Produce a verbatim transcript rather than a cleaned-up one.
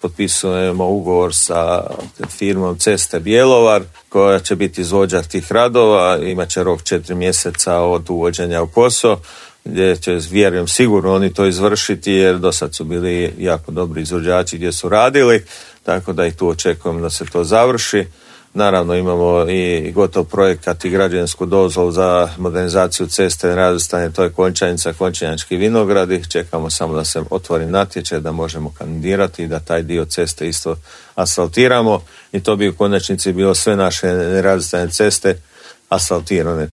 Potpisujemo ugovor sa firmom Ceste Bjelovar koja će biti izvođač tih radova, imat će rok četiri mjeseca od uvođenja u posao, gdje će, vjerujem, sigurno oni to izvršiti jer do sad su bili jako dobri izvođači gdje su radili, tako da i tu očekujem da se to završi. Naravno imamo i gotov projekat i građevinsku dozvolu za modernizaciju ceste razvrstanje, to je Končanica, Končanjački vinogradi. Čekamo samo da se otvori natječaj da možemo kandidirati i da taj dio ceste isto asfaltiramo i to bi u konačnici bilo sve naše nerazvrstane ceste asfaltirane.